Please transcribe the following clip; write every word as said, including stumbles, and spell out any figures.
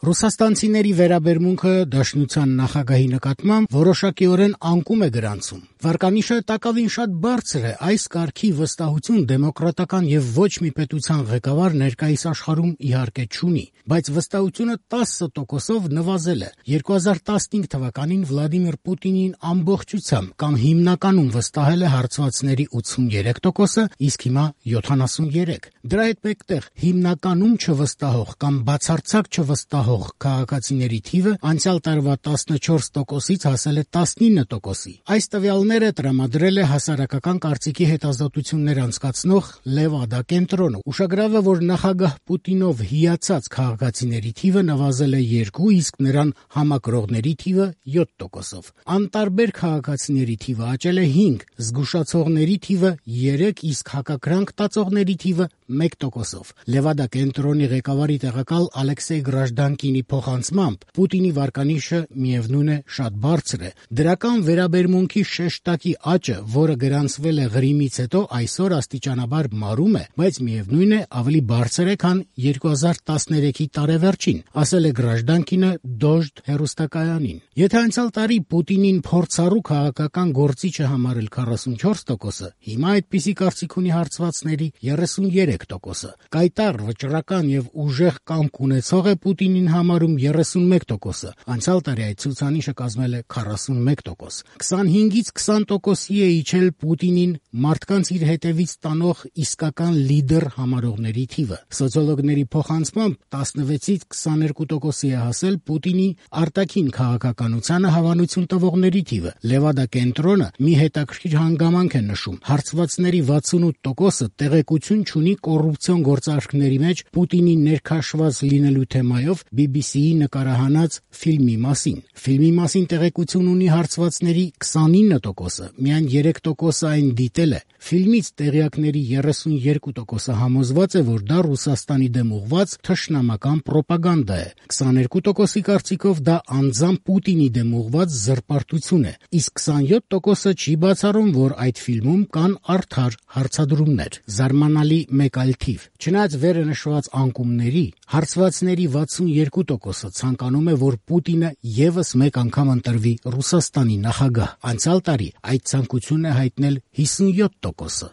Ռուսաստանցիների վերաբերմունքը Դաշնության նախագահի նկատմամբ որոշակիորեն անկում է գրանցում։ Վարկանիշը տակավին շատ բարձր է, այս կարգի վստահություն դեմոկրատական եւ ոչ մի պետության ղեկավար ներկայիս աշխարհում իհարկե չունի, բայց վստահությունը տասը տոկոսով նվազել է։ երկու հազար տասնհինգ թվականին Վլադիմիր Պուտինին ամբողջությամբ կամ հիմնականում վստահել է հարցվածների ութսուներեք տոկոսը, իսկ հիմա յոթանասուներեք։ Դրա հետ մեկտեղ հիմնականում չվստահող կամ բացարձակ չվստահող քաղաքացիների թիվը անցյալ տարվա տասնչորս տոկոսից հասել է տասնինը տոկոսի։ Այս տվյալները տրամադրել է հասարակական կարծիքի հետազոտություններ անցկացնող Լևադա կենտրոնը։ Ուշագրավ է, որ նախագահ Պուտինով հիացած քաղաքացիների թիվը նվազել է երկու, իսկ նրան համակրողների թիվը յոթ տոկոսով։ Անտարբեր քաղաքացիների թիվը աճել է հինգ, զգուշացողների թիվը երեք, իսկ հակակրանք տածողների թիվը մեկ տոկոսով։ Լևադա կենտրոնի ղեկավարի տեղակալ Ալեքսեյ Գրաժդանկինի փոխանցմամբ Պուտինի վարկանիշը միևնույն է շատ բարձր է։ Դրական վերաբերմունքի շեշտակի աճը, որը գրանցվել է Ղրիմից հետո, այսօր աստիճանաբար մարում է, բայց միևնույն է ավելի բարձր է, քան երկու հազար տասներեքի տարեվերջին, ասել է Գրաժդանկինը Դոժդ հեռուստակայանին։ Եթե անցյալ տարի Պուտինին փորձառու քաղաքական գործիչ է համարել քառասունչորս տոկոսը, հիմա այդպիսի կարծիք ունի հարցվածների երեսուներեք տոկոսը։ Կայտառ, վճռական եւ ուժեղ կամք ունեցող է Պուտինին համարում երեսունմեկ տոկոսը, անցյալ տարի այդ ցուցանիշը կազմել է քառասունմեկ տոկոս։ քսանհինգից քսան տոկոսի է իջել Պուտինին մարդկանց իր հետևից տանող իսկական լիդեր համարողների թիվը։ Սոցիոլոգների փոխանցմամբ տասնվեցից քսաներկու տոկոսի է հասել Պուտինի արտաքին քաղաքականությանը հավանություն տվողների թիվը։ Լևադա կենտրոնը մի հետաքրքիր հանգամանք է նշում. հարցվածների վաթսունութ տոկոսը տեղեկություն չունի կոռուպցիոն գործարքների մեջ Պուտինի ներքաշված լինելու թեմայով բի բի սիի նկարահանած ֆիլմի մասին։ Ֆիլմի մասին տեղեկություն ունի հարցվածների քսանինը տոկոսը, միայն երեք տոկոսը այն դիտել է։ Ֆիլմից տեղյակների երեսուներկու տոկոսը համոզված է, որ դա Ռուսաստանի դեմ ուղղված թշնամական պրոպագանդա է։ քսաներկու տոկոսի կարծիքով դա անձամբ Պուտինի դեմ ուղղված զրպարտություն է, իսկ քսանյոթ տոկոսը չի բացառում, որ այդ ֆիլմում կան արդար հարցադրումներ։ Զարմանալի մեկ այլ թիվ։ Չնայած վերը նշված անկումների, հարցվածների վաթսուներկու տոկոսը ցանկանում է, որ Պուտինը եւս մեկ անգամ ընտրվի Ռուսաստանի նախագահ։ Անցյալ տարի այդ ցանկությունն է հայտնել հիսունյոթ տոկոսը։